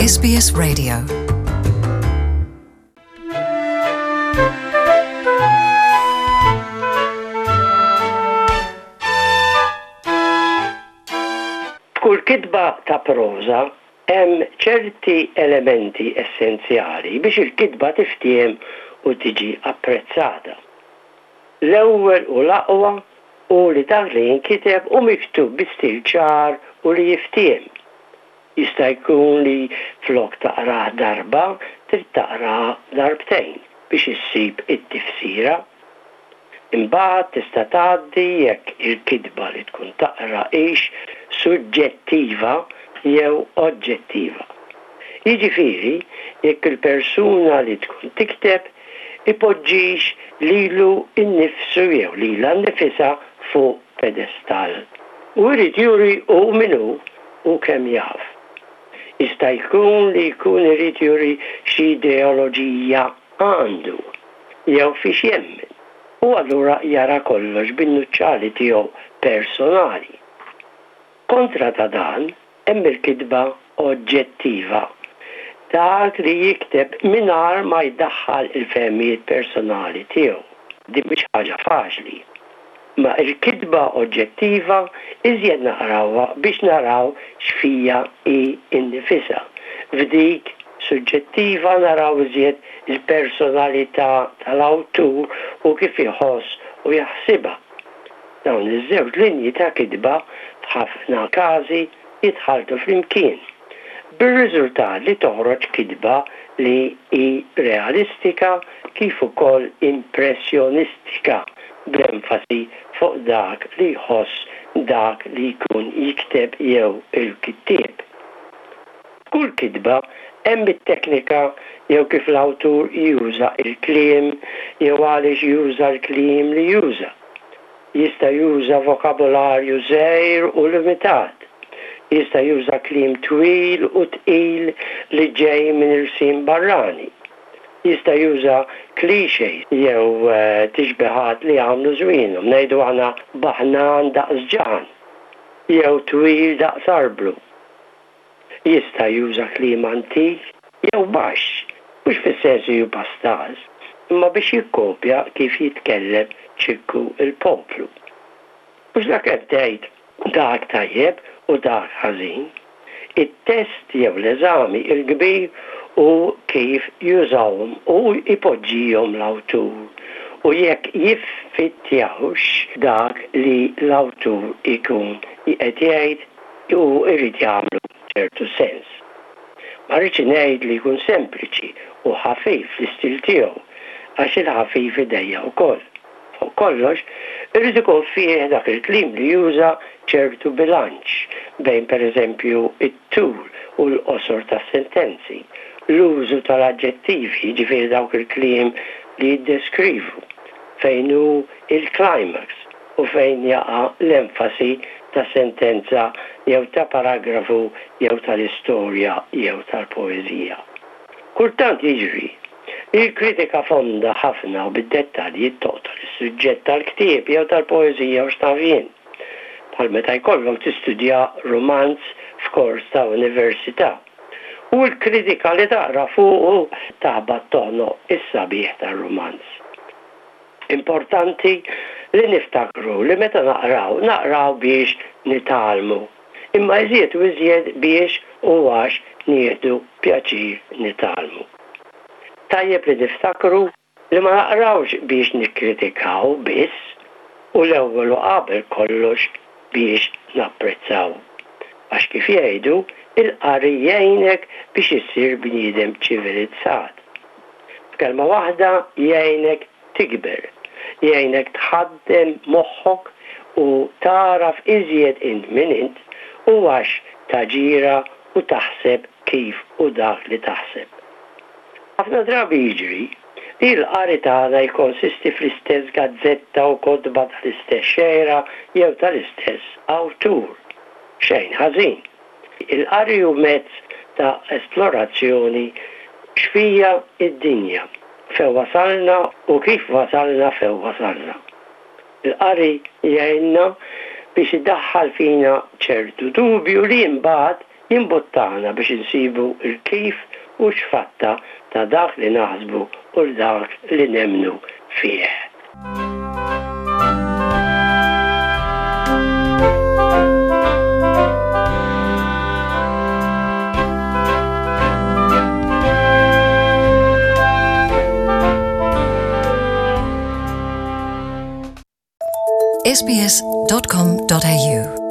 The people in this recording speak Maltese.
SBS Radio. F'kull kitba ta' proża hemm ċerti elementi essenzjali biex il-kitba tiftiehem u tiġi apprezzata. L-ewwel u l-aqwa hu li dak li jinkiteb hu miktub bi stil ċar u li jiftiehem. Jista' jkun li flok taqrah darba trid taqrah darbtejn biex issib it-tifsira. Imbagħad tista' tgħaddi jekk il-kitba li tkun taqra hix suġġettiva jew oġġettiva. Jiġifieri jekk il-persuna li tkun tikteb ipoġġix lilu nnifsu jew lilha nnifisha fuq pedestall u jrid juri hu min hu u kemm jaf. Jista' jkun li jkun irid juri x'ideoloġija għandu jew fiex jemmen u allura jara kollox bin-nuċċali tiegħu personali. Kontra ta' dan hemm il-kitba oġġettiva, dak li jikteb mingħajr ma jdaħħal il-fehmiet personali tiegħu. Din mhix ħaġa faċli. Imma il-kitba oġġettiva iżjed naqrawha biex naraw x'fija hi nnifisha. F'dik suġġettiva naraw iżjed il-personalità tal-awtur u kif iħoss u jaħsibha. Dawn iż-żewġ linji ta' kitba f'ħafna każi jitħalltu flimkien, bir-riżultat li toħroġ kitba li hi realistika kif ukoll impressjonistika bl-enfasi fuq dak li jħoss dak li jkun jikteb jew il-kittieb. F'kull kitba hemm it-teknika jew kif l-awtur juża l-kliem jew għaliex juża l-kliem li juża. Jista' juża vokabolarju żgħir u limitat. Jista' juża kliem twil u tqil li ġej minn ilsien barrani. Jista' juża clichés jew tixbihat li jagħmlu żmienhom, ngħidu aħna baħnan daqs ġaħan jew twil daqs arblu. Jista' juża kliem antik jew baxx, mhux fis-sens li hu pastaż, imma biex jikkopja kif jitkellem Ċikku l-poplu. Mhux lakemm tgħid dak tajjeb u dak ħażin. It-test jew l-eżami l-kbir hu kif jużahom u jpoġġihom l-awtur u jekk jiffittjawx dak li l-awtur ikun qed jgħid u jrid jagħmlu ċertu sens. Ma rridx ngħid li jkun sempliċi u ħafif fl-istil tiegħu, għax il-ħafif idejjaq ukoll. Fuq kollox, irid ikun fih dak il-kliem li juża ċertu bilanċ bejn pereżempju t-tul u l-qosor tas-sentenzi, l-użu tal-aġġettivi, jiġifieri dawk il-kliem li jiddeskrivu, fejn hu il-climax, u fejn jaqa' l-enfasi ta' sentenza jew ta' paragrafu jew tal-istorja jew tal-poeżija. Kultant jiġri li l-kritika fonda ħafna u bid-dettalji toqtol is-suġġett tal-ktieb jew tal-poeżija u x'naf jien. Bħal meta jkollok tistudja rumanz f'kors ta' università u l-kritika li taqra fuqu taħbat toħnoq is-sabiħ tar-rumanz. Importanti li niftakru li meta naqraw, naqraw biex nitgħallmu, imma iżjed u iżjed biex u għax nieħdu pjaċir nitgħallmu. Tajjeb li niftakru li ma naqrawx biex nikkritikaw biss u l-ewwel u qabel kollox biex napprezzaw. Għax kif jgħidu, il-qari jgħinek biex issir bniedem ċivilizzat. F'kelma waħda jgħinek tikber, jgħinek tħaddem moħħok u tagħraf iżjed int min int u għax taġira u taħseb kif u dak li taħseb. Ħafna drabi jiġri li l-qari tagħna jikkonsisti fl-istess gazzetta u kotba tal-istess xejra jew tal-istess awtur. Xejn ħażin. Il-qari hu mezz ta' esplorazzjoni x'fija d-dinja, fejn wasalna u kif wasalna fejn wasalna. Il-qari jgħinna biex idaħħal fina ċertu dubju li imbagħad Jimbuttana biex insibu l-kif u x-x'fatta ta' dak li naħsbu u l-dak li nemmnu fih. sbs.com.au.